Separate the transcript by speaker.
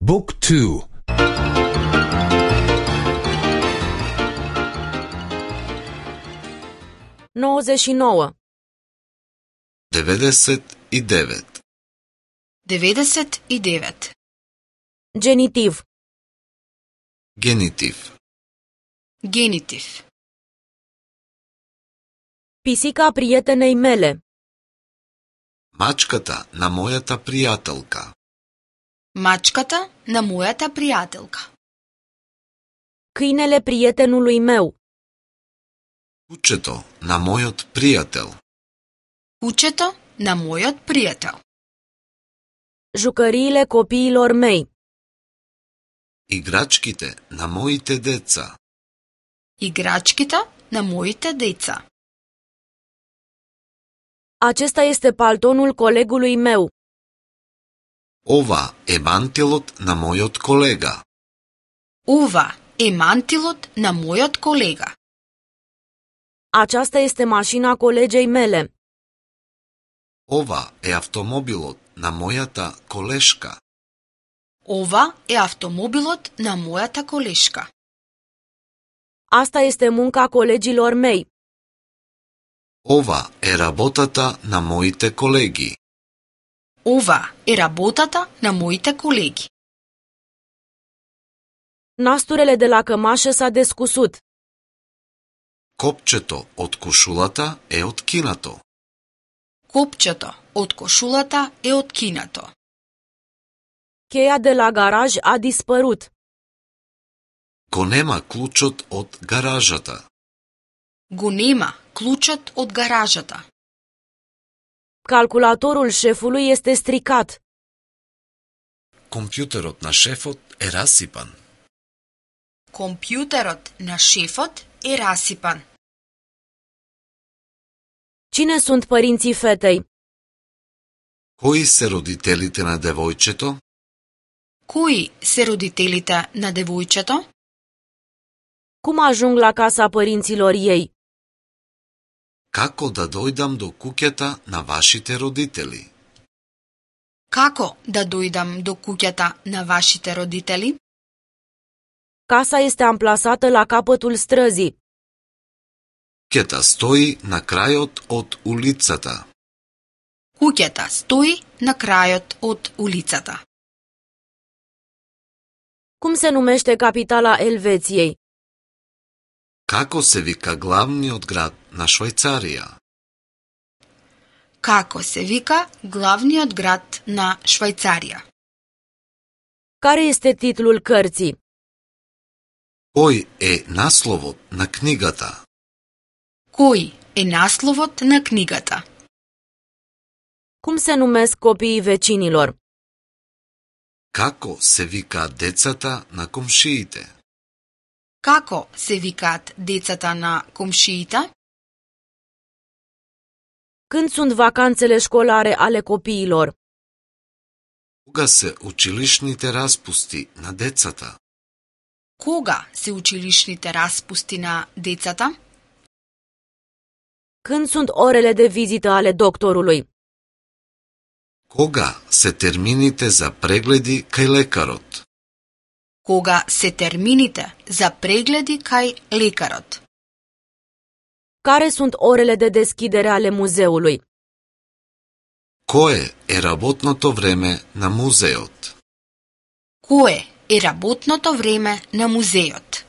Speaker 1: Book 2.
Speaker 2: 99.
Speaker 3: 99.
Speaker 4: 99.
Speaker 2: Genitiv.
Speaker 3: Генитив.
Speaker 4: Генитив.
Speaker 2: Pisica prietenei mele.
Speaker 3: Мачката на мојата пријателка.
Speaker 4: Мачката на мојата пријателка.
Speaker 2: Câinele prietenului meu.
Speaker 3: Кучето на мојот пријател.
Speaker 4: Кучето на мојот пријател.
Speaker 2: Jucăriile copiilor mei.
Speaker 3: Играчките на моите деца.
Speaker 4: Играчките на моите деца.
Speaker 2: Acesta este paltonul colegului meu.
Speaker 3: Ова е мантилот на мојот колега.
Speaker 4: Ова е мантилот на мојот колега.
Speaker 2: Aceasta este mașina colegei mele.
Speaker 3: Ова е автомобилот на мојата колешка.
Speaker 4: Ова е автомобилот на мојата колешка.
Speaker 2: Asta este munca colegilor mei.
Speaker 3: Ова е работата на моите колеги.
Speaker 4: Ова е работата на моите колеги.
Speaker 2: Nasturele de la cămașă s-a descusut.
Speaker 3: Копчето од кошулата е откинато.
Speaker 4: Копчето од кошулата е откинато.
Speaker 2: Cheia de la garaj a dispărut.
Speaker 3: Го нема клучот од гаражата.
Speaker 4: Го нема клучот од гаражата.
Speaker 2: Calculatorul șefului este stricat.
Speaker 3: Компјутерот на шефот е расипан.
Speaker 4: Компјутерот на шефот е расипан.
Speaker 2: Cine sunt părinții fetei?
Speaker 3: Кои се родителите на девојчето?
Speaker 4: Кои се родителите на девојчето?
Speaker 2: Cum ajung la casa părinților ei?
Speaker 3: Како да дојдам до куќата на вашите родители?
Speaker 4: Како да дојдам до куќата на вашите родители?
Speaker 2: Casa este amplasată la capătul străzii.
Speaker 3: Куќата стои на крајот од улицата.
Speaker 4: Куќата стои на крајот од улицата.
Speaker 2: Cum se numește capitala Elveției?
Speaker 3: Како се вика главниот град на Швајцарија?
Speaker 4: Како се вика главниот град на Швајцарија?
Speaker 2: Care este titlul cărții?
Speaker 3: Кој е насловот на книгата?
Speaker 4: Кој е насловот на книгата?
Speaker 2: Cum se numesc copiii vecinilor?
Speaker 3: Како се викаат децата на комшиите?
Speaker 4: Како се викаат децата на комшиите?
Speaker 2: Când sunt vacanțele școlare ale copiilor?
Speaker 3: Кога се училишните распусти на децата?
Speaker 4: Кога се училишните распусти на децата?
Speaker 2: Când sunt orele de vizită ale doctorului?
Speaker 3: Кога се термините за прегледи кај лекарот?
Speaker 4: Кога се термините за прегледи кај лекарот?
Speaker 2: Care sunt orele de deschidere ale muzeului?
Speaker 3: Кое е работното време на музеот?
Speaker 4: Кое е работното време на музеот?